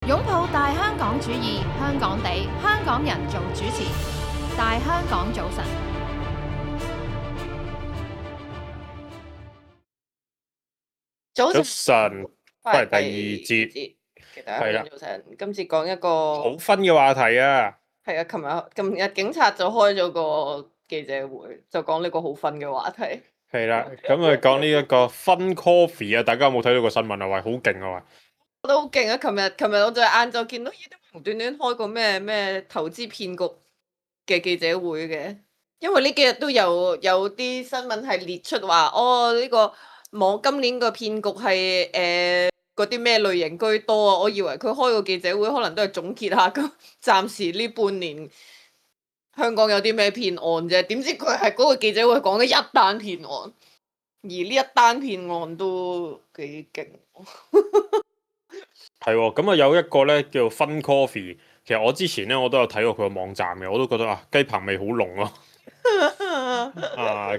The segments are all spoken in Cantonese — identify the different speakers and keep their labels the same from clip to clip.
Speaker 1: 擁抱大香港主義，香港地，香港人做主持。大香港早晨，
Speaker 2: 早
Speaker 3: 早晨，翻嚟第二節，
Speaker 2: 其實係啦。早晨，今次講一個
Speaker 3: 好分嘅話題啊。
Speaker 2: 係啊，琴日警察就開咗個記者會，就講呢個好分嘅話題。
Speaker 3: 係啦，咁啊講呢一個分 coffee 啊，大家有冇睇到個新聞啊？喂，好勁啊！喂，
Speaker 2: 我覺得好勁啊！琴日我就晏晝見到無端端開個咩投資騙局嘅記者會嘅，因為呢幾日都有啲新聞係列出話，呢個今年個騙局係嗰啲咩類型居多啊！我以為佢開個記者會可能都係總結下咁，暫時呢半年香港有啲咩騙案啫，點知佢係嗰個記者會講嘅一單騙案，而呢一單騙案都幾勁。
Speaker 3: 係喎，咁啊有一個咧叫分 coffee，其實我之前咧我都有睇過佢個網站嘅，我都覺得雞棚味好濃咯。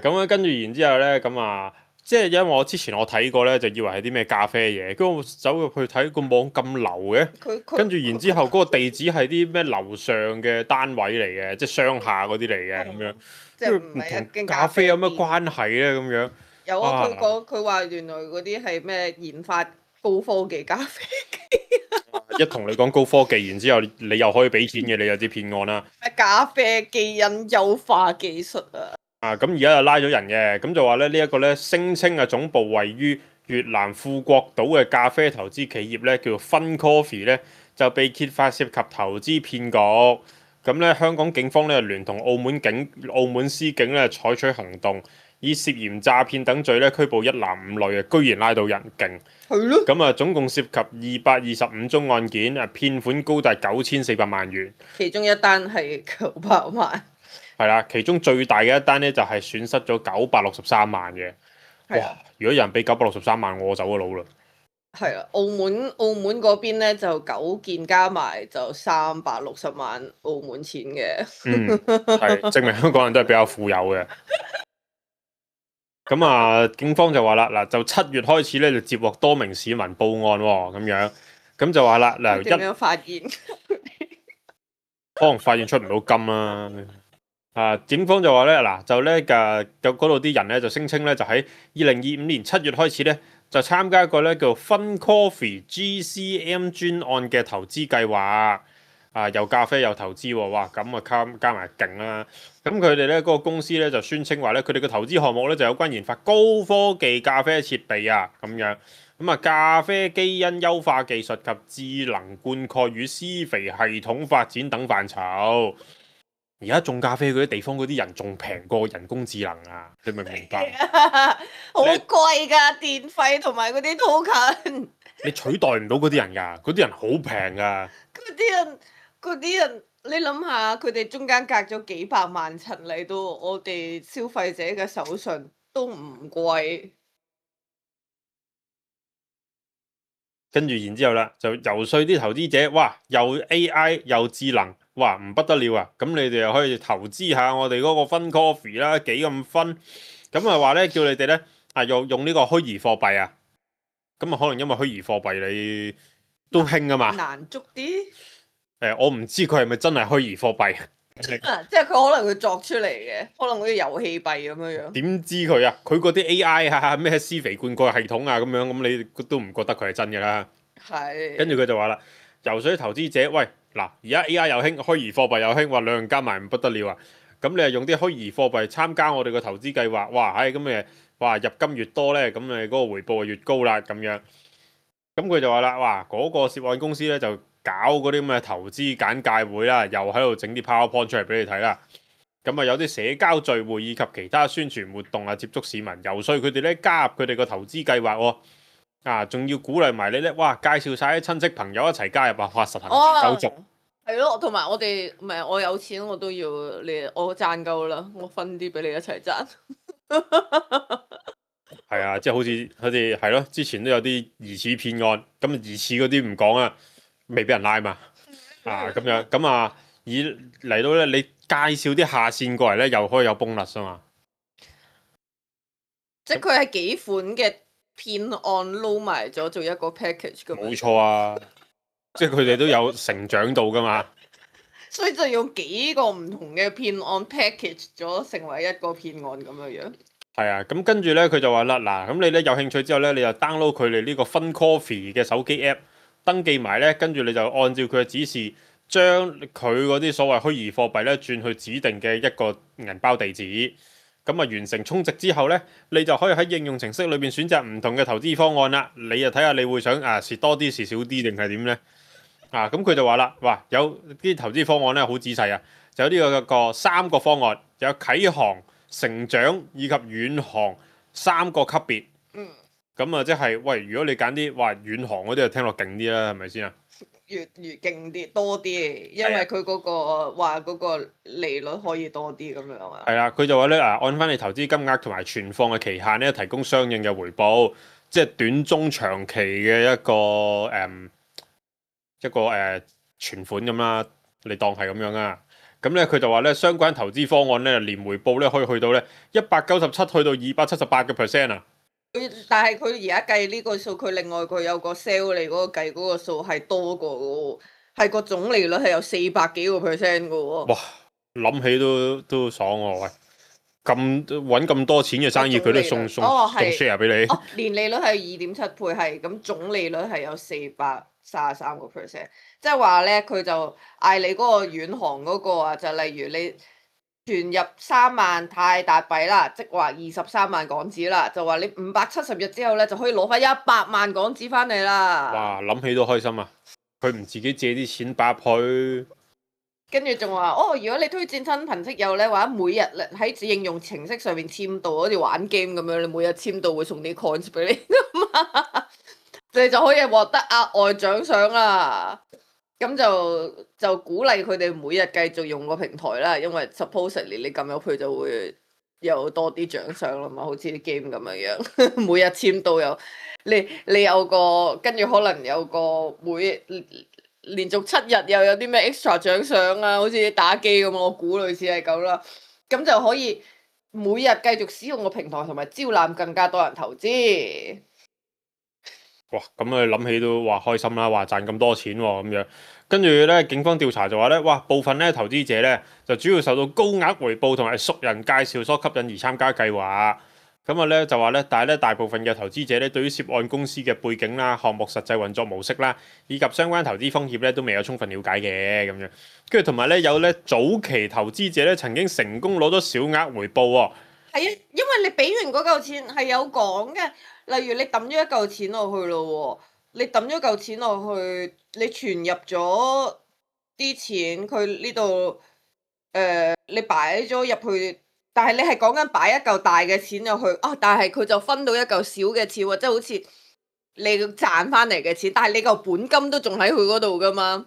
Speaker 3: 咁樣跟住然之後咧，咁啊〜即係因為我之前我睇過咧，就以為係啲咩咖啡嘢，跟住我走入去睇個網咁流嘅，跟住然之後嗰個地址係啲咩樓上嘅單位嚟嘅，即係商廈嗰啲嚟嘅咁樣，
Speaker 2: 即係唔同
Speaker 3: 咖啡有乜關係咧咁樣？
Speaker 2: 有啊，佢話原來嗰啲係咩研發高科技咖啡機，
Speaker 3: 一同你講高科技，然之後你又可以俾錢嘅，你有啲騙案啦。
Speaker 2: 咖啡基因優化技術啊！
Speaker 3: 咁而家就拉咗人嘅，咁就話咧呢一個咧聲稱啊總部位於越南富國島嘅咖啡投資企業咧叫做分 Coffee 咧就被揭發涉及投資騙局，咁咧香港警方咧聯同澳門司警咧採取行動，以涉嫌詐騙等罪咧拘捕一男五女啊，居然拉到人勁，
Speaker 2: 係咯，
Speaker 3: 咁啊總共涉及225宗案件啊，騙款高達9400萬元，
Speaker 2: 其中一單係900萬。
Speaker 3: 係啦，其中最大嘅一單咧就係損失咗963萬嘅。哇！如果有人俾963萬，我走咗佬啦。
Speaker 2: 係啊，澳門嗰邊咧就9件加埋就360萬澳門錢嘅。
Speaker 3: 係證明香港人都係比較富有嘅。咁啊，警方就話啦，嗱就7月開始咧就接獲多名市民報案喎，咁樣咁就話啦，嗱
Speaker 2: 點樣發現？
Speaker 3: 可能發現出唔到金啦。警方就話咧，嗱就咧嗰度啲人咧就聲稱咧，就喺2025年7月開始咧，就參加一個咧叫分 Coffee GCM 專案嘅投資計劃，有咖啡有投資喎，哇咁啊加埋勁啦！咁佢哋咧嗰個公司咧就宣稱話咧，佢哋嘅投資項目咧就有關研發高科技咖啡設備啊，咁樣咁啊咖啡基因優化技術及智能灌溉與施肥系統發展等範疇。而家種咖啡嗰啲地方嗰啲人仲平過人工智能啊！你明唔明白？
Speaker 2: 好貴㗎電費同埋嗰啲 token。
Speaker 3: 你取代唔到嗰啲人㗎，嗰啲人好平㗎。
Speaker 2: 嗰啲人，你諗下，佢哋中間隔咗幾百萬層嚟到我哋消費者嘅手上都唔貴。
Speaker 3: 跟住然之後啦，就游說啲投資者，哇！又 AI 又智能。哇，唔不得了啊！咁你哋又可以投資下我哋嗰個分 coffee 啦，幾咁分？咁啊話咧，叫你哋咧用呢個虛擬貨幣啊。咁啊可能因為虛擬貨幣你都興啊嘛。
Speaker 2: 難捉啲。
Speaker 3: 我唔知佢係咪真係虛擬貨幣。
Speaker 2: 即係佢可能會作出嚟嘅，可能好似遊戲幣咁樣樣。點
Speaker 3: 知佢啊？佢嗰啲 AI 啊，咩施肥灌溉系統啊咁樣，咁你都唔覺得佢係真嘅啦。係。跟住佢就話啦，游說投資者，喂！嗱，而家 AI 又興，虛擬貨幣又興，話兩樣加埋唔不得了啊！咁你係用啲虛擬貨幣參加我哋個投資計劃，哇！咁誒，哇入金越多咧，咁誒嗰個回報就越高啦，咁樣。咁佢就話啦，哇！嗰個涉案公司咧就搞嗰啲咁嘅投資簡介會啦，又喺度整啲 PowerPoint 出嚟俾你睇啦。咁啊有啲社交聚會以及其他宣傳活動啊，接觸市民，游說佢哋咧加入佢哋個投資計劃喎。仲要鼓勵埋你咧，哇！介紹晒啲親戚朋友一齊加入啊，實行手續。
Speaker 2: 係咯，同埋我哋唔係我有錢我都要你，我賺夠啦，我分啲俾你一齊賺。
Speaker 3: 係啊，即係好似係咯，之前都有啲疑似騙案，咁疑似嗰啲唔講啊，未俾人拉嘛。咁樣咁啊，而嚟到咧，你介紹啲下線過嚟咧，又可以有 bonus 啊嘛。
Speaker 2: 即係佢係幾款嘅騙案撈埋咗做一個 package 咁。
Speaker 3: 冇錯啊！即係佢哋都有成長到噶嘛。
Speaker 2: 所以就用幾個唔同嘅騙案 package 咗成為一個騙案咁樣樣。
Speaker 3: 係啊，咁跟住咧佢就話啦，嗱，咁你咧有興趣之後咧，你就 download 佢哋呢個 FunCoffee 嘅手機 app， 登記埋咧，跟住你就按照佢嘅指示，將佢嗰啲所謂虛擬貨幣咧轉去指定嘅一個銀包地址。咁啊完成充值之後咧，你就可以喺應用程式裏邊選擇唔同嘅投資方案啦。你就睇下你會想蝕多啲蝕少啲定係點咧？咁佢就話啦，哇，有啲投資方案咧好仔細啊，就有呢個3個方案，有啟航、成長以及遠航3個級別。咁啊，即係喂，如果你揀啲話遠航嗰啲，就聽落勁啲啦，係咪先啊？
Speaker 2: 越勁啲，多啲，因為佢嗰個話嗰個利率可以多啲咁樣啊。
Speaker 3: 係啊，佢就話咧按翻你投資金額同埋存放嘅期限咧，提供相應嘅回報，即係短中長期嘅一個存款咁啦，你當係咁樣啊。咁咧佢就話咧，相關投資方案咧，年回報咧可以去到咧197去到278%啊。
Speaker 2: 但係佢而家計呢個數，佢另外佢有個 sell 你嗰個計嗰個數係多過嘅喎，係個總利率係有400幾個%嘅喎。
Speaker 3: 哇！諗起都爽喎，喂！咁揾咁多錢嘅生意，佢都送 share 俾你。
Speaker 2: 年利率係2.7倍，係咁總利率係有433個%，即係話咧，佢就嗌你嗰個遠航嗰個啊，就例如你存入3萬泰達幣啦，即係話23萬港紙啦，就話你570日之後咧就可以攞翻100萬港紙翻嚟啦。
Speaker 3: 哇！諗起都開心啊！佢唔自己借啲錢擺入去。
Speaker 2: 跟住仲話如果你推薦親朋戚友咧，或者每日喺應用程式上面簽到，好似玩 game 咁樣，你每日簽到會送啲 coins 俾你你就可以獲得額外獎賞啦。咁就鼓勵佢哋每日繼續用個平台啦，因為 supposedly 你撳入去就會有多啲獎賞啦嘛，好似啲 game 咁樣樣，每日簽到有你有個，跟住可能有個連續7日又有啲咩 extra 獎賞啊，好似打機咁，我估類似係咁啦。咁就可以每日繼續使用個平台，同埋招攬更加多人投資。
Speaker 3: 哇！咁啊諗起都話開心啦，話賺咁多錢喎咁樣。跟住咧，警方調查就話咧，哇！部分咧投資者咧就主要受到高額回報同埋熟人介紹所吸引而參加計劃。咁啊咧就話咧，但係咧大部分嘅投資者咧對於涉案公司嘅背景啦、項目實際運作模式啦，以及相關投資風險咧都未有充分了解嘅咁樣。跟住同埋咧有咧早期投資者咧曾經成功攞咗小額回報喎。
Speaker 2: 係啊，因為你俾完嗰嚿錢係有講嘅，例如你抌咗一嚿錢落去咯喎，你抌咗嚿錢落去，你存入咗啲錢，佢呢度你擺咗入去。但係你係講緊擺一嚿大嘅錢入去但係佢就分到一嚿小嘅錢喎，即係好似你賺翻嚟嘅錢，但係你嚿本金都仲喺佢嗰度噶嘛。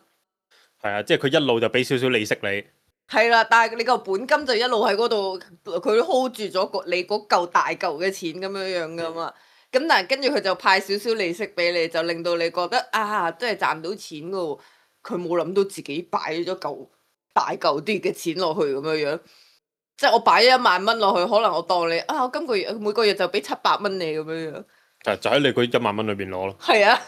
Speaker 3: 係啊，即係佢一路就俾少少利息你。
Speaker 2: 係啦，但係你嚿本金就一路喺嗰度，佢 hold 住咗你嗰嚿大嚿嘅錢咁樣樣噶嘛。咁但係跟住佢就派少少利息俾你，就令到你覺得真係賺到錢噶喎。佢冇諗到自己擺咗嚿大嚿啲嘅錢落去咁樣樣。即係我擺咗1萬蚊落去，可能我當你我今個月每個月就俾700蚊你咁樣樣。
Speaker 3: 就喺你嗰1萬蚊裏邊攞咯。
Speaker 2: 係啊，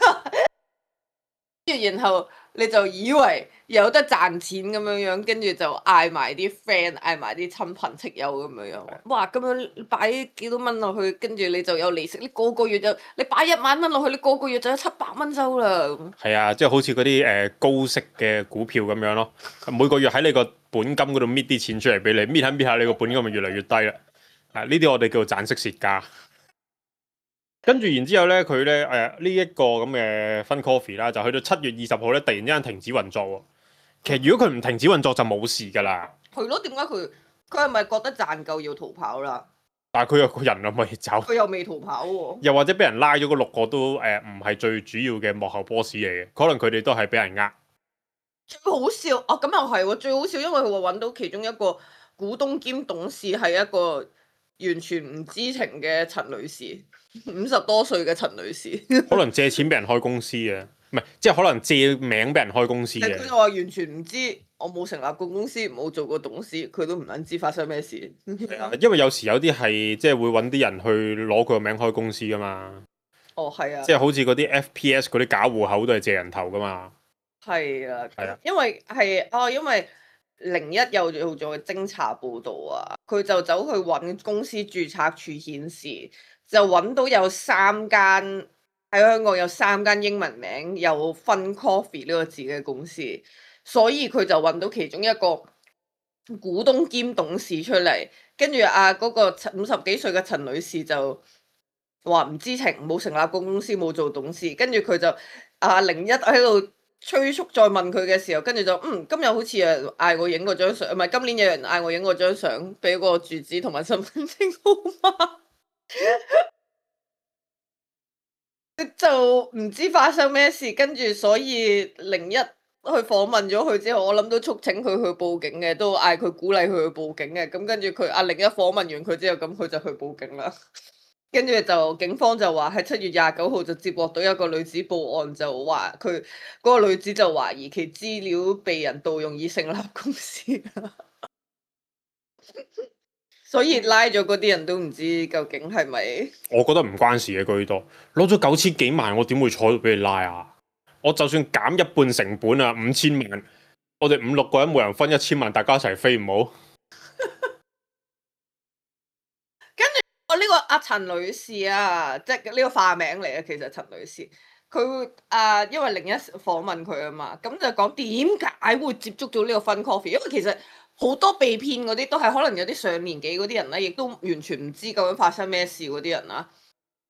Speaker 2: 然後你就以為有得賺錢咁樣樣，跟住就嗌埋啲 friend， 嗌埋啲親朋戚友咁樣樣。哇！咁樣擺幾多蚊落去，跟住你就有利息。你個個月你擺1萬蚊落去，你個個月就有700蚊收啦。
Speaker 3: 係啊，即係好似嗰啲高息嘅股票咁樣咯。每個月喺你個本金嗰度搣啲錢出嚟俾你，搣下搣下，你個本金咪越嚟越低啦。呢啲我哋叫做賺息蝕家。跟住然之後咧，佢咧呢一個咁嘅FunCoffee啦，就去到7月20號咧，突然之間停止運作喎。其實如果佢唔停止運作就冇事㗎啦。
Speaker 2: 係咯，點解佢係咪覺得賺夠要逃跑啦？
Speaker 3: 但係佢有個人又未走，
Speaker 2: 佢又未逃跑喎。
Speaker 3: 又或者俾人拉咗嗰6個都唔係最主要嘅幕後 boss 嚟嘅，可能佢哋都係俾人呃。
Speaker 2: 最好笑咁又係喎，最好笑，因為佢話揾到其中一個股東兼董事係一個完全唔知情嘅陳女士，50多歲嘅陳女士。
Speaker 3: 可能借錢俾人開公司嘅，唔係即係可能借名俾人開公司嘅。
Speaker 2: 佢就話完全唔知，我冇成立過公司，冇做過董事，佢都唔撚知發生咩事。
Speaker 3: 因為有時有啲係即係會揾啲人去攞佢個名開公司噶嘛。
Speaker 2: 係啊。
Speaker 3: 即係好似嗰啲 FPS 嗰啲假戶口都係借人頭噶嘛。
Speaker 2: 係啊，
Speaker 3: 係啊，
Speaker 2: 因為01又做咗偵查報導啊，佢就走去揾公司註冊處顯示，就揾到有3間喺香港有3間英文名有 Fun Coffee 呢個字嘅公司，所以佢就揾到其中一個股東兼董事出嚟，跟住嗰個50幾歲嘅陳女士就話唔知情，冇成立過公司，冇做董事，跟住佢就01喺度催促再問佢嘅時候，跟住就今日好似有人嗌我影嗰張相，唔係今年有人嗌我影嗰張相，俾個住址同埋身份證號碼，就唔知發生咩事，跟住所以01去訪問咗佢之後，我諗都促請佢去報警嘅，都嗌佢鼓勵佢去報警嘅，咁跟住佢01訪問完佢之後，咁佢就去報警啦。跟住就警方就話喺7月29號就接獲到一個女子報案，就話佢嗰個女子就懷疑其資料被人盜用以成立公司，所以拉咗嗰啲人都唔知究竟係咪？
Speaker 3: 我覺得唔關事嘅居多，攞咗9000幾萬，我點會坐到俾你拉啊？我就算減一半成本啊，5000萬，我哋5、6個人每人分1000萬，大家一齊飛唔好？
Speaker 2: 呢個阿陳女士啊，即係呢個化名嚟嘅，其實陳女士佢因為01訪問佢啊嘛，咁就講點解會接觸到呢個 Fun Coffee，因為其實好多被騙嗰啲都係可能有啲上年紀嗰啲人咧，亦都完全唔知究竟發生咩事嗰啲人啦。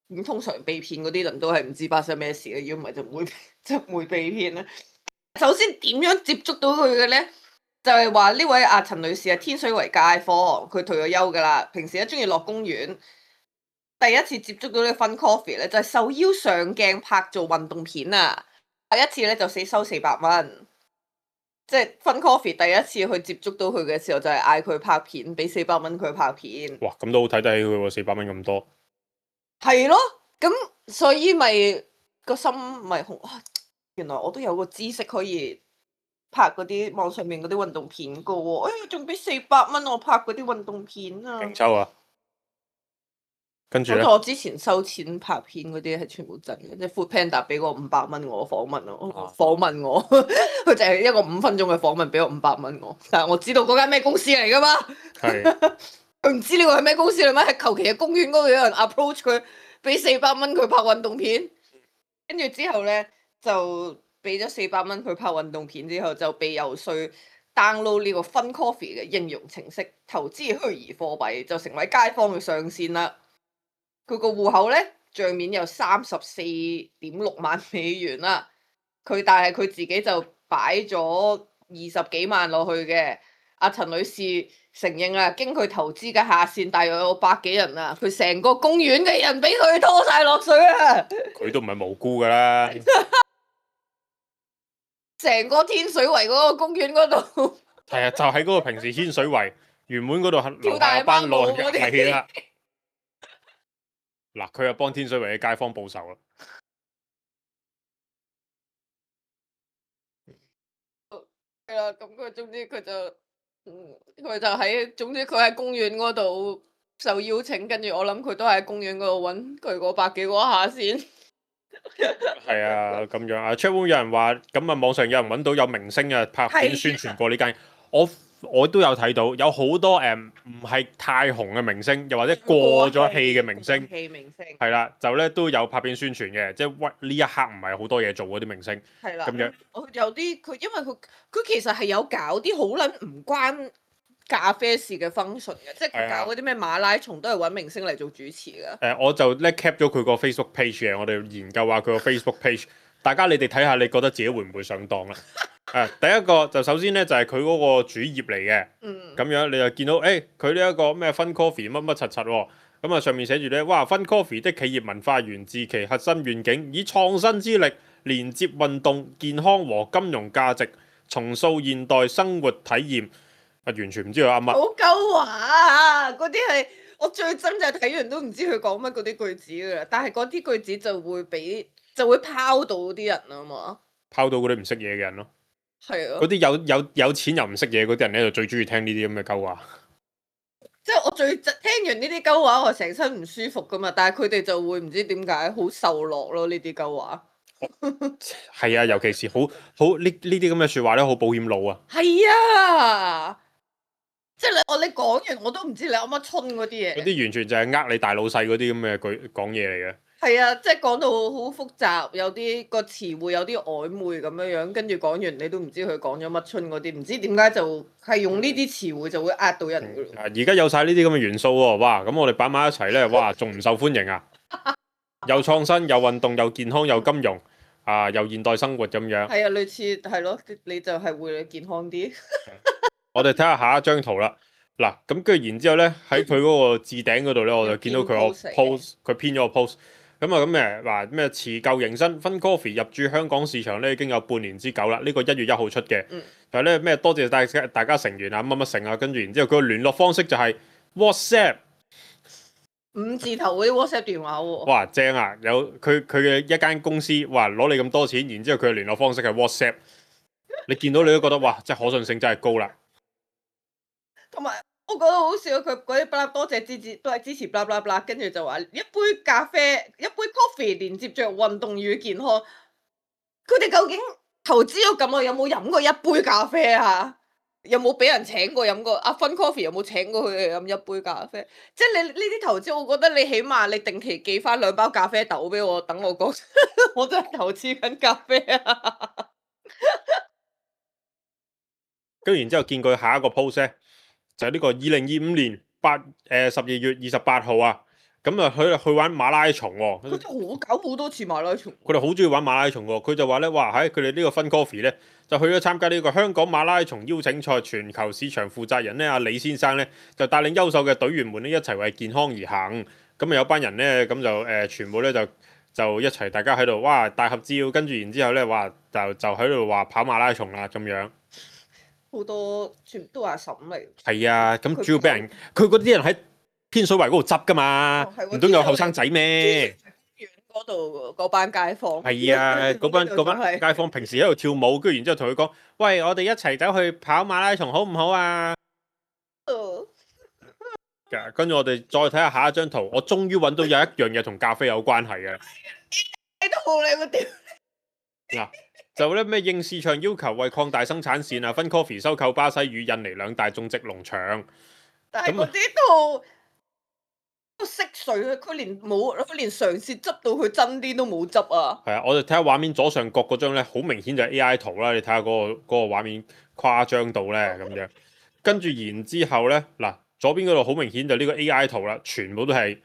Speaker 2: 咁通常被騙嗰啲人都係唔知發生咩事嘅，如果唔係就唔會被騙啦。首先點樣接觸到佢嘅咧？就係話呢位陳女士係天水圍街坊，佢退咗休噶啦，平時咧中意落公園。第一次接觸到呢個 Fun Coffee 咧，就係受邀上鏡拍做運動片啊！第一次咧就收400蚊，即係 Fun Coffee 第一次去接觸到佢嘅時候，就係嗌佢拍片，俾400蚊佢拍片。
Speaker 3: 哇，咁都好睇得起佢喎，400蚊咁多。係
Speaker 2: 咯，咁所以咪個心咪好，原來我都有個知識可以拍嗰啲網上面嗰啲運動片噶喎，仲俾400蚊我拍嗰啲運動片啊！
Speaker 3: 勁抽啊！跟住咧，
Speaker 2: 我之前收錢拍片嗰啲係全部真嘅，即係 Foodpanda 俾我500蚊我訪問我，佢就係一個5分鐘嘅訪問，俾我500蚊我，但係我知道嗰間咩公司嚟噶嘛，佢唔知呢個係咩公司嚟咩？係求其嘅公園嗰度有人 approach 佢，俾400蚊佢拍運動片，跟住之後咧就俾咗400蚊佢拍運動片之後，就被游說 download 呢個 Fun Coffee 嘅應用程式，投資虛擬貨幣，就成為街坊嘅上線啦。佢個戶口咧帳面有34.6萬美元啦，但係佢自己就擺咗20幾萬落去嘅。阿陳女士承認啊，經佢投資嘅下線大約有100幾人啊，佢成個公園嘅人俾佢拖晒落水啊！
Speaker 3: 佢都唔係無辜噶啦，
Speaker 2: 成個天水圍嗰個公園嗰度，
Speaker 3: 係啊，就喺嗰個平時天水圍原本嗰度
Speaker 2: 跳大班舞嗰啲，
Speaker 3: 係啦。嗱，佢又幫天水圍嘅街坊報仇啦。
Speaker 2: 係啦，咁佢總之佢就喺公園嗰度受邀請，跟住我諗佢都喺公園嗰度揾佢嗰100幾個下先。
Speaker 3: 係啊，咁樣啊 ，chatroom 有人話，咁啊網上有人揾到有明星啊拍片宣傳過呢間，我都有睇到，有好多唔係太紅嘅明星，又或者過咗氣嘅明星，係啦，就咧都有拍片宣傳嘅，即係呢一刻唔係好多嘢做嗰啲明星，
Speaker 2: 係啦，
Speaker 3: 咁樣。
Speaker 2: 有啲佢因為佢其實係有搞啲好撚唔關咖啡事嘅 function 嘅，即係佢搞嗰啲咩馬拉松都係揾明星嚟做主持㗎。
Speaker 3: 我就咧 cap 咗佢個 Facebook page 嘅，我哋研究下佢個 Facebook page，大家你哋睇下，你覺得自己會唔會上當啦？第一個就首先咧就係佢嗰個主頁嚟嘅，咁樣你就見到佢呢一個咩 Fun Coffee 乜乜柒柒喎，咁啊上面寫住咧，哇 Fun Coffee 的企業文化源自其核心願景，以創新之力連接運動、健康和金融價值，重塑現代生活體驗。完全唔知佢啱乜。好
Speaker 2: 鳩話啊！嗰啲係我最憎就係睇完都唔知佢講乜嗰啲句子㗎啦，但係嗰啲句子就會拋到啲人啊嘛。
Speaker 3: 拋到嗰啲唔識嘢嘅人咯。
Speaker 2: 係啊。
Speaker 3: 嗰啲有錢又唔識嘢嗰啲人咧，就最中意聽呢啲咁嘅鳩話。
Speaker 2: 即係我聽完呢啲鳩話，我成身唔舒服噶嘛，但係佢哋就會唔知點解好受落咯呢啲鳩話。
Speaker 3: 係啊，尤其是好呢啲咁嘅説話咧，好保險路啊。
Speaker 2: 係啊，即係你講完我都唔知你噏乜春嗰啲嘢。
Speaker 3: 嗰啲完全就係呃你大老細嗰啲咁嘅句講嘢嚟嘅。
Speaker 2: 係啊，即係講到好複雜，有啲個詞彙有啲曖昧咁樣樣，跟住講完你都唔知佢講咗乜春嗰啲，唔知點解就係用呢啲詞彙就會呃到人噶咯。
Speaker 3: 而家有晒呢啲咁嘅元素喎，哇！咁我哋擺埋一齊咧，哇，仲唔受歡迎啊？又創新，又運動，又健康，又金融，又現代生活咁樣。
Speaker 2: 係啊，類似係咯，你就係會健康啲。
Speaker 3: 我哋睇下下一張圖啦。嗱，咁跟住然之後咧，喺佢嗰個置頂嗰度咧，我就見到佢個 post，佢編咗個 post。咁啊咁誒話咩辭舊迎新，Fun Coffee 入駐香港市場咧已經有半年之久啦。呢個1月1號出嘅。但係咧咩多謝大家成員啊乜乜成啊，跟住然之後佢個聯絡方式就係 WhatsApp。
Speaker 2: 5字頭嗰啲 WhatsApp 電話喎。
Speaker 3: 哇，正啊！有佢嘅一間公司，哇攞你咁多錢，然之後佢嘅聯絡方式係 WhatsApp。你見到你都覺得哇，即係可信性真係高啦。
Speaker 2: 同埋我覺得好笑，佢嗰啲不啦多謝都係支持blah blah blah，跟住就話一杯咖啡一杯 coffee 連接着運動與健康。佢哋究竟投資咗咁耐，有冇飲過一杯咖啡啊？有冇俾人請過飲過Fun Coffee 有冇請過佢哋飲一杯咖啡？即係你呢啲投資，我覺得你起碼你定期寄翻2包咖啡豆俾我，等我講我真係投資緊咖啡啊！
Speaker 3: 跟住然之後見佢下一個 post 咧，就係呢個2025年12月28號啊。咁啊去玩馬拉松喎。
Speaker 2: 佢哋搞好多次馬拉松。
Speaker 3: 佢哋好中意玩馬拉松喎。佢就話咧，哇喺佢哋呢個Fun Coffee咧，就去咗參加呢個香港馬拉松邀請賽全球市場負責人咧，阿李先生咧就帶領優秀嘅隊員們咧一齊為健康而行。咁啊有班人咧咁就全部咧就一齊大家喺度哇大合照，跟住然之後咧哇就喺度話跑馬拉松啦咁樣。好
Speaker 2: 多全部都係阿嬸嚟。
Speaker 3: 係啊，咁主要俾人佢嗰啲人喺天水圍嗰度執噶嘛，唔通有後生仔咩？
Speaker 2: 嗰度嗰班街坊。
Speaker 3: 係啊，嗰班街坊平時喺度跳舞，跟住然之後同佢講：喂，我哋一齊走去跑馬拉松好唔好啊？跟住我哋再睇下下一張圖，我終於揾到有一樣嘢同咖啡有關係嘅。
Speaker 2: 都好你個屌！
Speaker 3: 嗱，就咧咩應市場要求，為擴大生產線啊，Fun Coffee 收購巴西與印尼2大種植農場。
Speaker 2: 但係嗰啲都識水，佢連嘗試執到佢真啲都冇執啊！
Speaker 3: 係啊，我哋睇下畫面左上角嗰張咧，好明顯就係 AI 圖啦。你睇下嗰個畫面誇張到咧咁樣。跟住然之後咧，嗱左邊嗰度好明顯就呢個 AI 圖啦，全部都係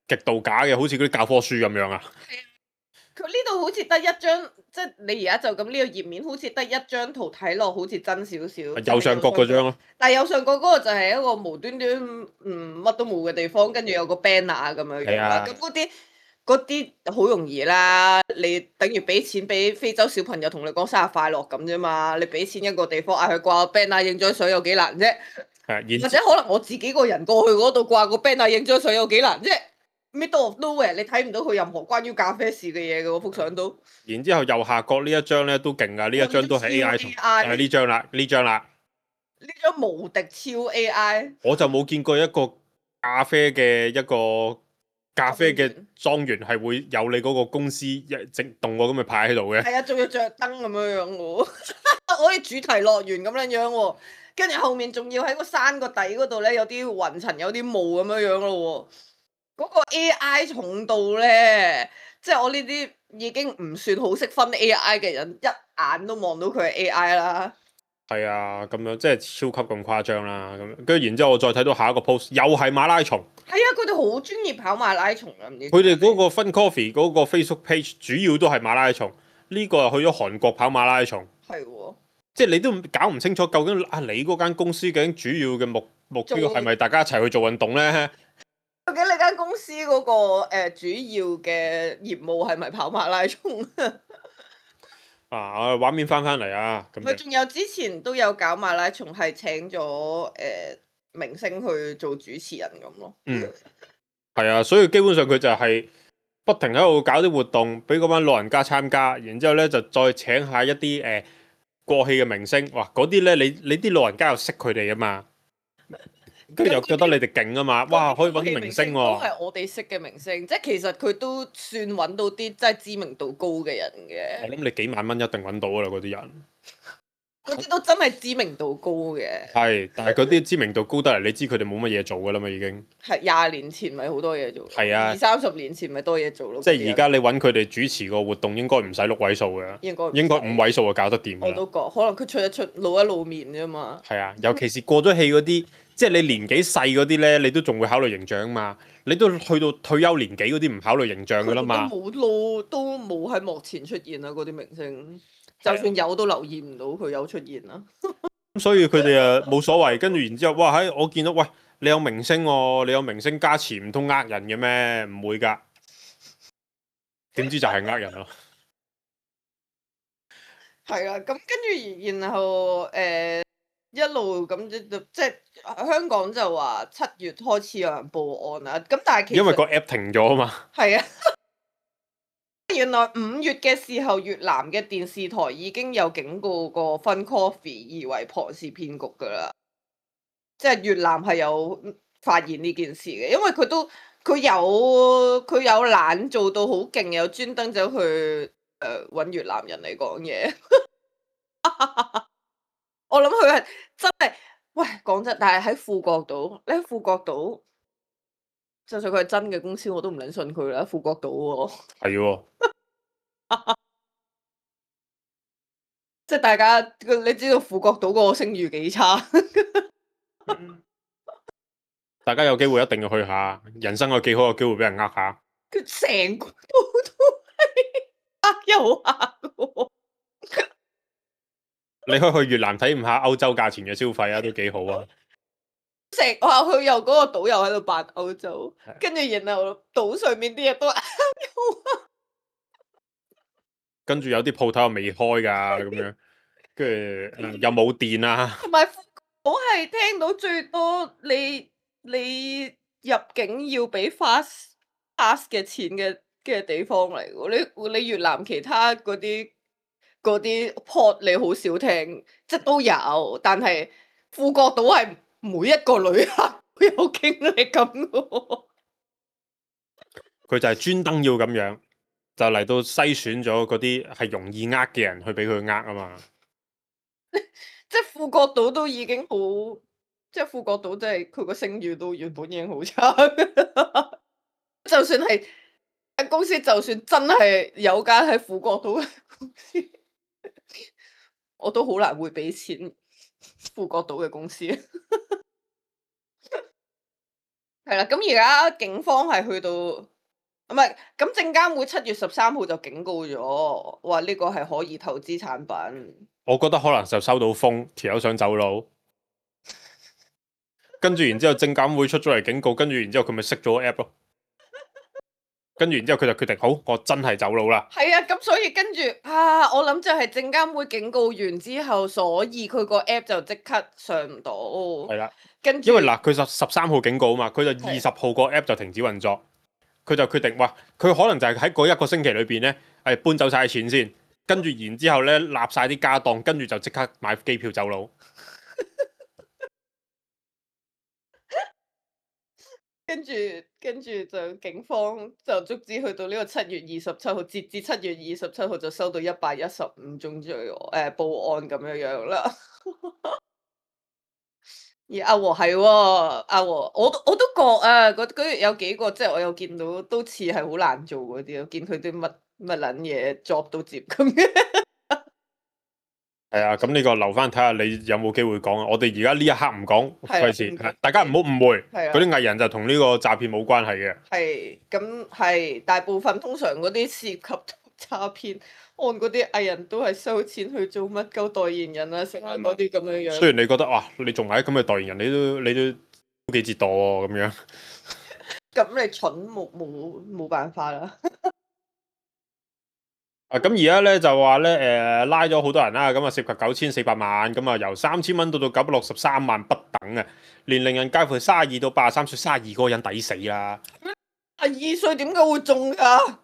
Speaker 3: 極度假嘅，好似嗰啲教科書咁樣啊。
Speaker 2: 佢呢度好似得一張，即係你而家就咁呢個頁面，好似得一張圖睇落好似真少少。
Speaker 3: 右上角嗰張咯。
Speaker 2: 但係右上角嗰個就係一個無端端乜都冇嘅地方，跟住有個 banner 咁樣樣啦。咁嗰啲好容易啦，你等於俾錢俾非洲小朋友同你講生日快樂咁啫嘛。你俾錢一個地方嗌佢掛個 banner 影張相有幾難啫？或者可能我自己個人過去嗰度掛個 banner 影張相有幾難啫？Middle of nowhere，你睇唔到佢任何關於咖啡事嘅嘢嘅嗰幅相都。然之後
Speaker 3: 右下角呢一張咧都勁噶，呢一張都係 AI 圖，係呢張啦，呢張啦。
Speaker 2: 呢張無敵超 AI。
Speaker 3: 我就冇見過一個咖啡嘅莊園係會有你嗰個公司整動個咁嘅牌喺度嘅。
Speaker 2: 係啊，仲要着燈咁樣樣喎，好似主題樂園咁樣樣喎。跟住後面仲要喺個山個底嗰度咧，有啲雲層，有啲霧咁樣樣咯喎。嗰個 AI 重度咧，即係我呢啲已經唔算好識分 AI 嘅人，一眼都望到佢係 AI 啦。
Speaker 3: 係啊，咁樣即係超級咁誇張啦。咁跟住然之後，我再睇到下一個 post，又係馬拉松。
Speaker 2: 係啊，佢哋好專業跑馬拉松啊！
Speaker 3: 佢哋嗰個 Fun Coffee 嗰個 Facebook page 主要都係馬拉松。呢個又去咗韓國跑馬拉松。
Speaker 2: 係喎。即
Speaker 3: 係你都搞唔清楚究竟你嗰間公司究竟主要嘅目標係咪大家一齊去做運動咧？
Speaker 2: 究竟你間公司嗰個主要嘅業務係咪跑馬拉松
Speaker 3: 啊？畫面翻嚟啊！
Speaker 2: 佢仲有之前都有搞馬拉松，係請咗明星去做主持人咁咯。
Speaker 3: 係啊，所以基本上佢就係不停喺度搞啲活動，俾嗰班老人家參加，然之後咧就再請下一啲過氣嘅明星。哇！嗰啲咧你啲老人家又識佢哋啊嘛。跟住又覺得你哋勁啊嘛，哇可以揾啲明星喎，
Speaker 2: 都係我哋識嘅明星，即係其實佢都算揾到啲真係知名度高嘅人嘅。
Speaker 3: 我諗你幾萬蚊一定揾到噶啦嗰啲人。
Speaker 2: 嗰啲都真係知名度高嘅。
Speaker 3: 係，但係嗰啲知名度高得嚟，你知佢哋冇乜嘢做噶啦嘛，已經。
Speaker 2: 係20年前咪好多嘢做。
Speaker 3: 係啊。
Speaker 2: 20-30年前咪多嘢做咯。
Speaker 3: 即係而家你揾佢哋主持個活動，應該唔使6位數嘅。應該5位數就搞得掂。
Speaker 2: 我都覺，可能佢出一出露一露面啫嘛。
Speaker 3: 係啊，尤其是過咗氣嗰啲，即係你年紀細嗰啲咧，你都仲會考慮形象嘛。你都去到退休年紀嗰啲唔考慮形象噶啦嘛。
Speaker 2: 都冇喺幕前出現啊！嗰啲明星。就算有都留意唔到佢有出現啦。
Speaker 3: 咁所以佢哋啊冇所謂，跟住然之後，哇喺我見到，喂你有明星喎，你有明星加持，唔通呃人嘅咩？唔會㗎，點知就係呃人咯。
Speaker 2: 係啊，咁跟住然後一路咁即係香港就話7月開始有人報案啦，咁但係其實
Speaker 3: 因為個 app 停咗啊嘛。
Speaker 2: 係啊。原來5月嘅時候，越南嘅電視台已經有警告過 Fun Coffee 以為龐氏騙局噶啦，即係越南係有發現呢件事嘅，因為佢有懶做到好勁，有專登走去揾越南人嚟講嘢。我諗佢係真係，喂講真，但係喺富國島，你喺富國島。就算佢係真嘅公司，我都唔撚信佢啦。富國島喎，
Speaker 3: 係喎，
Speaker 2: 即係大家你知道富國島嗰個聲譽幾差。
Speaker 3: 大家有機會一定要去下，人生有幾好有機會俾人呃下。
Speaker 2: 佢成個島都係呃又呃喎。
Speaker 3: 你可以去越南體驗下歐洲價錢嘅消費啊，都幾好啊！
Speaker 2: 我話佢又嗰個島又喺度扮歐洲，跟住然後島上面啲嘢都
Speaker 3: 跟住有啲鋪頭又未開㗎咁樣，跟住又冇電啊。
Speaker 2: 同埋我係聽到最多你入境要俾 fast pass 嘅錢嘅地方嚟喎。你越南其他嗰啲 port 你好少聽，即係都有，但係富國島係每一個旅客都有經歷咁嘅。
Speaker 3: 佢就係專登要咁樣，就嚟到篩選咗嗰啲係容易呃嘅人去俾佢呃啊嘛。
Speaker 2: 即係富國島都已經好，即係富國島真係佢個聲譽都原本已經好差。就算係公司，就算真係有間喺富國島嘅公司，我都好難會俾錢富國島嘅公司。係啦，咁而家警方係去到，唔係咁證監會7月13號就警告咗，話呢個係可疑投資產品。
Speaker 3: 我覺得可能就收到風，條友想走佬，跟住然之後證監會出咗嚟警告，跟住然之後佢咪熄咗個 app 咯，跟住然之後佢就決定好，我真係走佬啦。係
Speaker 2: 啊，咁所以跟住我諗就係證監會警告完之後，所以佢個 app 就即刻上唔到。係啦，跟住因為嗱，佢13號警告啊嘛，佢就20號個 app 就停止運作，佢就決定哇，佢可能就係喺嗰1個星期裏邊咧，搬走晒錢先。跟住然之後咧，立晒啲家當，跟住就即刻買機票走佬。跟住就警方就足之去到呢個7月27號，截至7月27號就收到115宗報案咁樣啦。而阿和係喎，阿和我都覺啊，嗰月有幾個即係我有見到都似係好難做嗰啲，我見佢啲乜撚嘢 job 都接咁嘅。係啊，咁呢個留翻睇下你有冇機會講啊！我哋而家呢一刻唔講，費事大家唔好誤會。嗰啲藝人就同呢個詐騙冇關係嘅。係，咁係大部分通常嗰啲涉及詐騙案嗰啲藝人都係收錢去做乜鳩代言人啊，成嗰啲咁樣樣。雖然你覺得哇，你仲係咁嘅代言人，你都幾折墮喎咁樣。咁你蠢冇辦法啦。咁而家咧就話咧，拉咗好多人啦，咁啊涉及9400萬，咁啊由3000蚊到963萬不等啊，年齡人介乎32到83歲，32個人抵死啦。2歲點解會中㗎？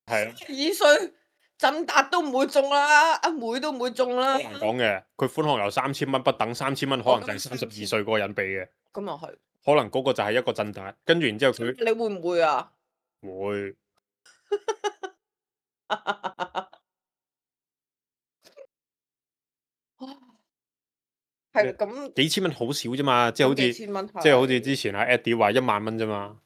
Speaker 2: 係啊，2歲振達都唔會中啦，阿妹都唔會中啦。
Speaker 3: 好難講嘅，佢款項由3000蚊不等，3000蚊可能就係32歲嗰個人俾嘅。
Speaker 2: 咁又係。
Speaker 3: 可能嗰個就係一個振達，跟住然之後佢。
Speaker 2: 你會唔會啊？
Speaker 3: 會。
Speaker 2: 係咁
Speaker 3: 幾千蚊好少啫嘛，即係好似之前阿 Eddie 話1萬蚊啫嘛。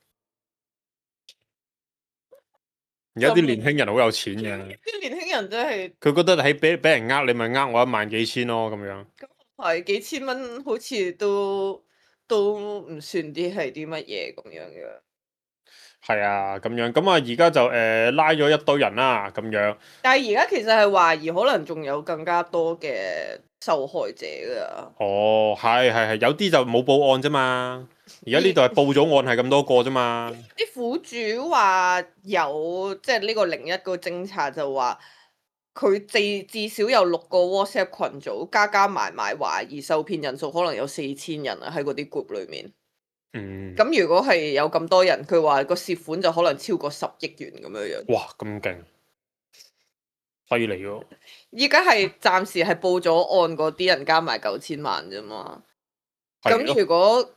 Speaker 3: 而家啲年輕人好有錢嘅。
Speaker 2: 啲年輕人真係。
Speaker 3: 佢覺得喺俾人你咪我1萬幾千咯咁樣。
Speaker 2: 咁係幾千蚊，好似都唔算啲係啲乜嘢咁樣嘅。
Speaker 3: 係啊，咁樣咁啊，而家就拉咗一堆人啦，咁樣。
Speaker 2: 但係而家其實係懷疑可能仲有更加多嘅受害者㗎。
Speaker 3: 哦，係，有啲就冇報案啫嘛。而家呢度係報咗案，係咁多個啫嘛。
Speaker 2: 啲苦主話有，即係呢個01個偵查就話，佢至少有6個 WhatsApp 群組，加埋懷疑受騙人數可能有4000人啊，喺嗰啲 group 裏面。咁如果係有咁多人，佢話個涉款就可能超過10億元咁樣樣。
Speaker 3: 哇，咁勁，犀利喎！
Speaker 2: 依家係暫時係報咗案嗰啲人加埋9000萬啫嘛。咁如果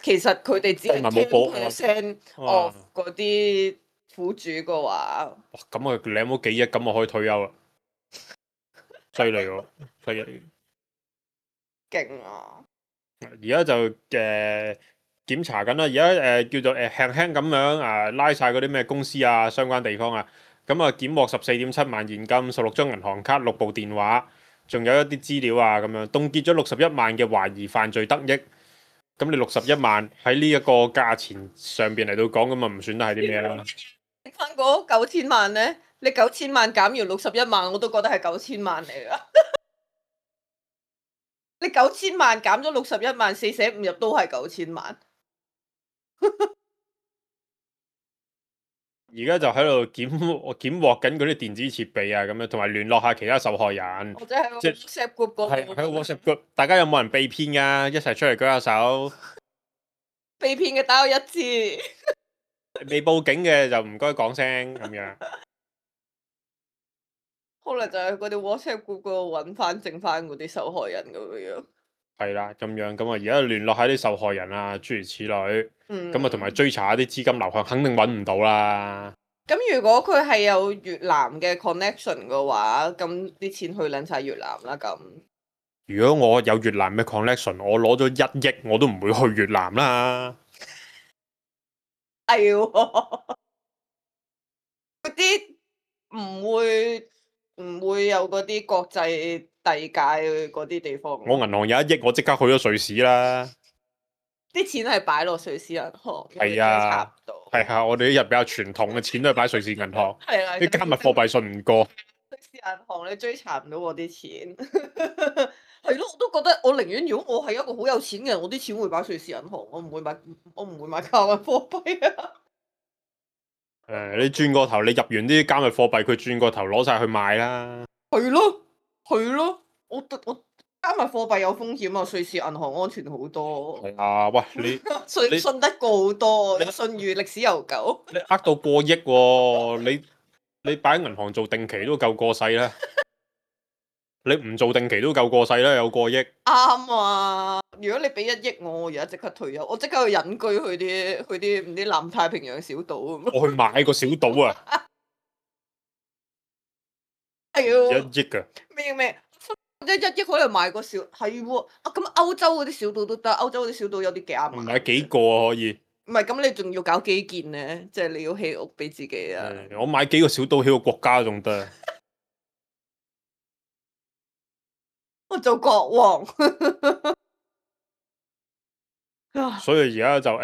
Speaker 2: 其實佢哋只係10% of 嗰啲苦主嘅話，
Speaker 3: 哇！咁啊，你有冇幾億咁我可以退休啦？犀利喎，犀利！
Speaker 2: 勁啊！
Speaker 3: 而家就檢查緊啦，而家叫做輕輕咁樣拉晒嗰啲咩公司啊、相關地方啊，咁啊檢獲14.7萬現金、16張銀行卡、6部電話，仲有一啲資料啊咁樣，凍結咗61萬嘅懷疑犯罪得益。咁你61萬喺呢一個價錢上邊嚟到講，咁啊唔算得係啲咩啦。
Speaker 2: 翻嗰9000萬咧，你9000萬減完61萬，我都覺得係9000萬嚟噶。你9000萬減咗61萬，4捨5入都係9000萬。
Speaker 3: 而家就喺度檢獲緊嗰啲電子設備啊，咁樣同埋聯絡下其他受害人。
Speaker 2: 或者喺 WhatsApp group 嗰度。
Speaker 3: 係喺 WhatsApp group，大家有冇人被騙㗎？一齊出嚟舉下手。
Speaker 2: 被騙嘅打我1次。
Speaker 3: 未報警嘅就唔該講聲咁樣。
Speaker 2: 可能就喺嗰啲 WhatsApp group 嗰度揾翻剩翻嗰啲受害人咁樣。
Speaker 3: 係啦，咁樣咁啊，而家聯絡下啲受害人啊，諸如此類。咁啊，同埋追查一啲資金流向，肯定揾唔到啦。
Speaker 2: 咁如果佢係有越南嘅 connection 嘅話，咁啲錢去撚晒越南啦。咁
Speaker 3: 如果我有越南嘅 connection，我攞咗1億，我都唔會去越南啦。
Speaker 2: 係喎，嗰啲唔會有嗰啲國際遞界嗰啲地方。
Speaker 3: 我銀行有1億，我即刻去咗瑞士啦。
Speaker 2: 啲錢係擺落瑞士銀行。
Speaker 3: 係啊，係啊，我哋呢日比較傳統嘅錢都係擺瑞士銀行。
Speaker 2: 係啦，
Speaker 3: 啲加密貨幣信唔過。
Speaker 2: 瑞士銀行你追查唔到我啲錢。係咯，我都覺得我寧願如果我係一個好有錢嘅人，我啲錢會擺瑞士銀行，我唔會買加密貨幣啊。
Speaker 3: 你轉個頭，你入完啲加密貨幣，佢轉個頭攞晒去賣啦。
Speaker 2: 係咯，我加密貨幣有風險啊，瑞士銀行安全好多。
Speaker 3: 係啊，喂，你
Speaker 2: 信得過好多，信譽歷史悠久。
Speaker 3: 你呃到過億喎，你擺喺銀行做定期都夠過世啦。你唔做定期都夠過世啦，有過億。
Speaker 2: 啱啊！如果你俾1億我而家即刻退休，我即刻去隱居去啲唔知南太平洋小島。
Speaker 3: 我去買個小島啊！
Speaker 2: 係喎。
Speaker 3: 1億㗎。
Speaker 2: 咩？1億可能買個小係喎啊！咁歐洲嗰啲小島都得，歐洲嗰啲小島有啲幾啱買。
Speaker 3: 買幾個啊可以？
Speaker 2: 唔係咁，你仲要搞基建咧，即係你要起屋俾自己啊！
Speaker 3: 我買幾個小島起個國家仲得。
Speaker 2: 我做國王。
Speaker 3: 所以而家就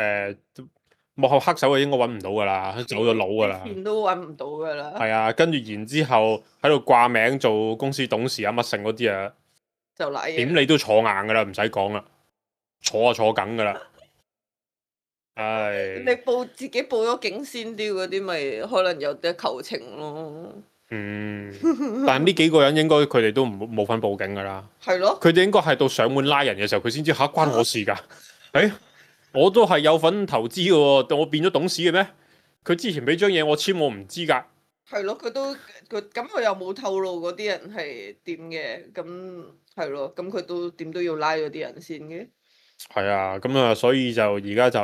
Speaker 3: 幕後黑手應該揾唔到噶啦，走咗佬噶啦。
Speaker 2: 錢都揾唔到噶啦。
Speaker 3: 係啊，跟住然之後喺度掛名做公司董事啊乜剩嗰啲啊，
Speaker 2: 就嚟
Speaker 3: 點你都坐硬噶啦，唔使講啦，坐緊噶啦。唉。
Speaker 2: 你自己報咗警先啲嗰啲，咪可能有啲求情咯。
Speaker 3: 但係呢幾個人應該佢哋都冇份報警噶啦。
Speaker 2: 係咯。
Speaker 3: 佢哋應該係到上門拉人嘅時候，佢先知嚇關我事㗎。我都係有份投資嘅喎，我變咗董事嘅咩？佢之前俾張嘢我簽，我唔知㗎。
Speaker 2: 係咯，佢又冇透露嗰啲人係點嘅，咁係咯，咁佢都點都要拉咗啲人先嘅。
Speaker 3: 係啊，咁啊，所以就而家就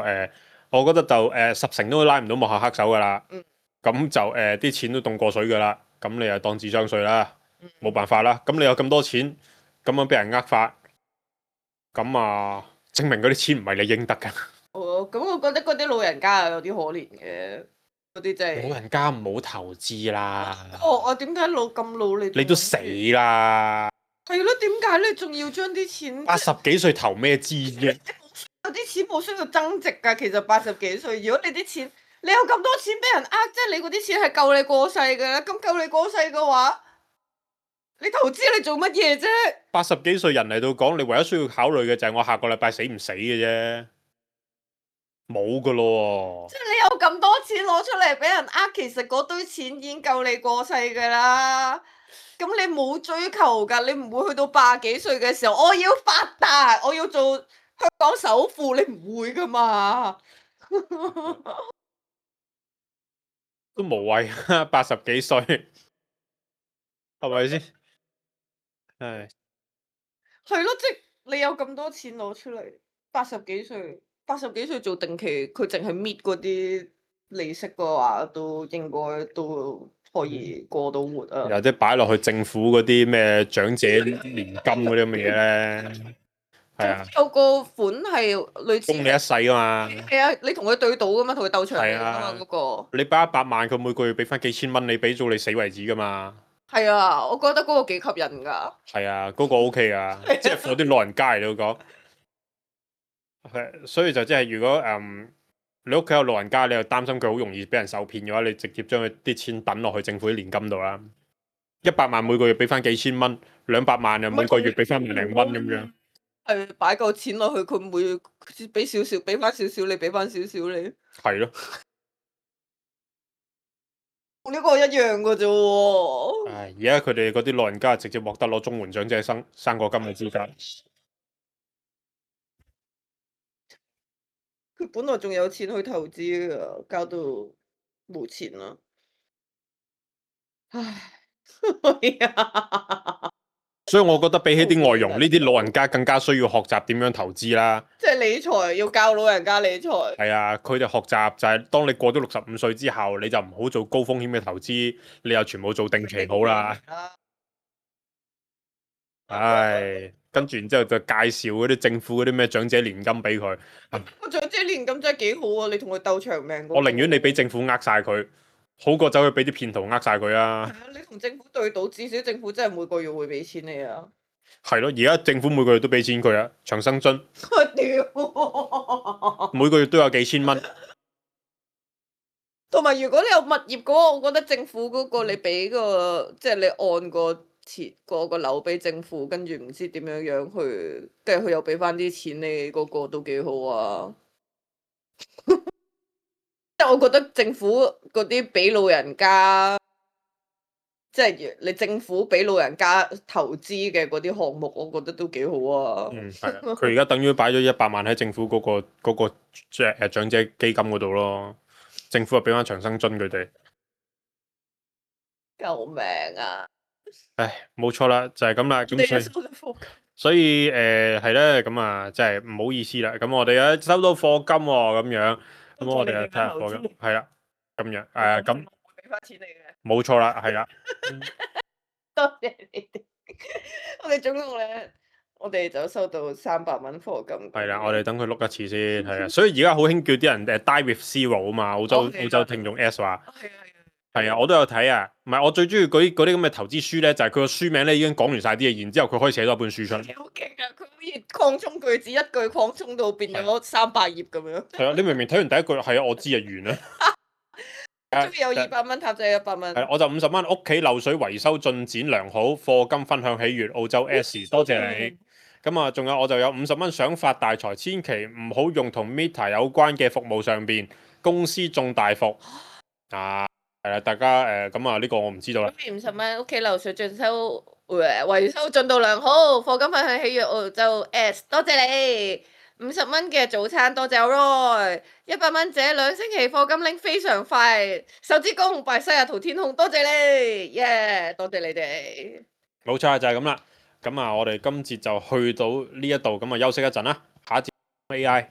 Speaker 3: 我覺得就10成都拉唔到幕後黑手噶啦。咁就啲錢都凍過水噶啦，咁你又當智商稅啦，冇辦法啦。咁你有咁多錢，咁樣俾人呃法，咁啊證明嗰啲錢唔係你應得噶。
Speaker 2: 咁我覺得嗰啲老人家有啲可憐嘅。嗰啲真係
Speaker 3: 老人家唔好投資啦。
Speaker 2: 我點解咁老你
Speaker 3: 都死啦。
Speaker 2: 係咯，點解你仲要將啲錢
Speaker 3: 80幾歲投咩資啫？
Speaker 2: 有啲錢冇需要增值㗎。其實80幾歲，如果你啲錢你有咁多錢俾人呃，即係你嗰啲錢係夠你過世㗎啦。咁夠你過世嘅話，你投資你做乜嘢啫
Speaker 3: ？80幾歲人嚟到講，你唯一需要考慮嘅就係我下個禮拜死唔死嘅啫。冇噶咯喎！
Speaker 2: 即係你有咁多錢攞出嚟俾人呃，其實嗰堆錢已經夠你過世噶啦。咁你冇追求噶，你唔會去到80幾歲嘅時候，我要發達，我要做香港首富，你唔會噶嘛？
Speaker 3: 都無謂啊！80幾歲，係咪先？係。
Speaker 2: 係咯，即係你有咁多錢攞出嚟，80幾歲。80幾歲做定期，佢淨係搣嗰啲利息嘅話，都應該都可以過到活啊！
Speaker 3: 有啲擺落去政府嗰啲咩長者年金嗰啲咁嘅嘢咧，係啊，
Speaker 2: 有個款係類似
Speaker 3: 供你一世噶嘛。
Speaker 2: 係啊，你同佢對賭噶嘛，同佢鬥長命噶嘛嗰個。
Speaker 3: 你擺100萬，佢每個月俾翻幾千蚊，你俾到你死為止噶嘛。
Speaker 2: 係啊，我覺得嗰個幾吸引㗎。
Speaker 3: 係啊，嗰個 OK 啊，即係嗰啲老人家嚟到講。所以就即係如果你屋企有老人家，你又擔心佢好容易俾人受騙嘅話，你直接將佢啲錢等落去政府啲年金度啦。100萬每個月俾翻幾千蚊，200萬又每個月俾翻1零蚊咁樣。
Speaker 2: 係擺夠錢落去，佢每俾少少，俾翻少少，你俾翻少少你。係
Speaker 3: 咯。
Speaker 2: 呢個一樣㗎啫喎。
Speaker 3: 而家佢哋嗰啲老人家直接獲得攞綜援長者生果金嘅資格。
Speaker 2: 佢本來仲有錢去投資㗎，交到冇錢啦。唉，
Speaker 3: 所以我覺得比起啲外傭，呢啲老人家更加需要學習點樣投資啦。
Speaker 2: 即係理財要教老人家理財。
Speaker 3: 係啊，佢哋學習就係當你過咗65歲之後，你就唔好做高風險嘅投資，你又全部做定期好啦。唉，跟住然之後就介紹嗰啲政府嗰啲咩長者年金俾佢。
Speaker 2: 個長者年金真係幾好啊！你同佢鬥長命。
Speaker 3: 我寧願你俾政府呃晒佢，好過走去俾啲騙徒呃晒佢啊！
Speaker 2: 係啊，你同政府對賭，至少政府真係每個月會俾錢你啊！
Speaker 3: 係咯，而家政府每個月都俾錢佢啊，長生津。每個月都有幾千蚊。
Speaker 2: 同埋如果你有物業嘅話，我覺得政府嗰個你俾個，即係你按個錢個樓俾政府，跟住唔知點樣去，跟住佢又俾翻啲錢你，嗰個都幾好啊！即係我覺得政府嗰啲俾老人家，即係你政府俾老人家投資嘅嗰啲項目，我覺得都幾好啊！
Speaker 3: 係啊，佢而家等於擺咗100萬喺政府嗰個長者基金嗰度咯，政府又俾翻長生津佢哋。
Speaker 2: 救命啊！
Speaker 3: 唉，冇錯啦，就係咁啦，咁所以係咧，咁啊，真係唔好意思啦。咁我哋咧收到課金喎，咁樣，咁我哋睇下課金，係啦，咁樣咁
Speaker 2: 會俾翻錢你嘅。
Speaker 3: 冇錯啦，係啦。
Speaker 2: 多謝你哋，我哋總共咧，我哋就收到300蚊課金。
Speaker 3: 係啦，我哋等佢碌一次先，係啊。所以而家好興叫啲人Die with Zero 啊嘛，澳洲聽眾 S 話。係啊，我都有睇啊。唔係，我最中意嗰啲咁嘅投資書咧，就係佢個書名咧已經講完晒啲嘢，然之後佢可以寫多一本書出嚟。
Speaker 2: 好勁啊！佢可以擴充句子，一句擴充到變咗300頁咁樣。係
Speaker 3: 啊，你明明睇完第一句，係啊，我知啊，完啦。
Speaker 2: 終於有200蚊，塔仔100蚊。
Speaker 3: 係，我就50蚊。屋企漏水維修進展良好，課金分享喜悅，澳洲 S， 多謝你。咁啊，仲有我就有50蚊，想發大財，千祈唔好用同 Meta 有關嘅服務上邊，公司中大伏啊！係啦，大家咁啊，呢個我唔知道啦。
Speaker 2: 50蚊，屋企漏水進修維修進度良好，課金分享喜悅澳洲 S， 多謝你。50蚊嘅早餐，多謝 Roy。100蚊者2星期課金拎非常快，手指公拜西雅圖天空，多謝你，多謝你哋。
Speaker 3: 冇錯就係咁啦。咁啊，我哋今節就去到呢一度，咁啊休息一陣啦，下一節 AI，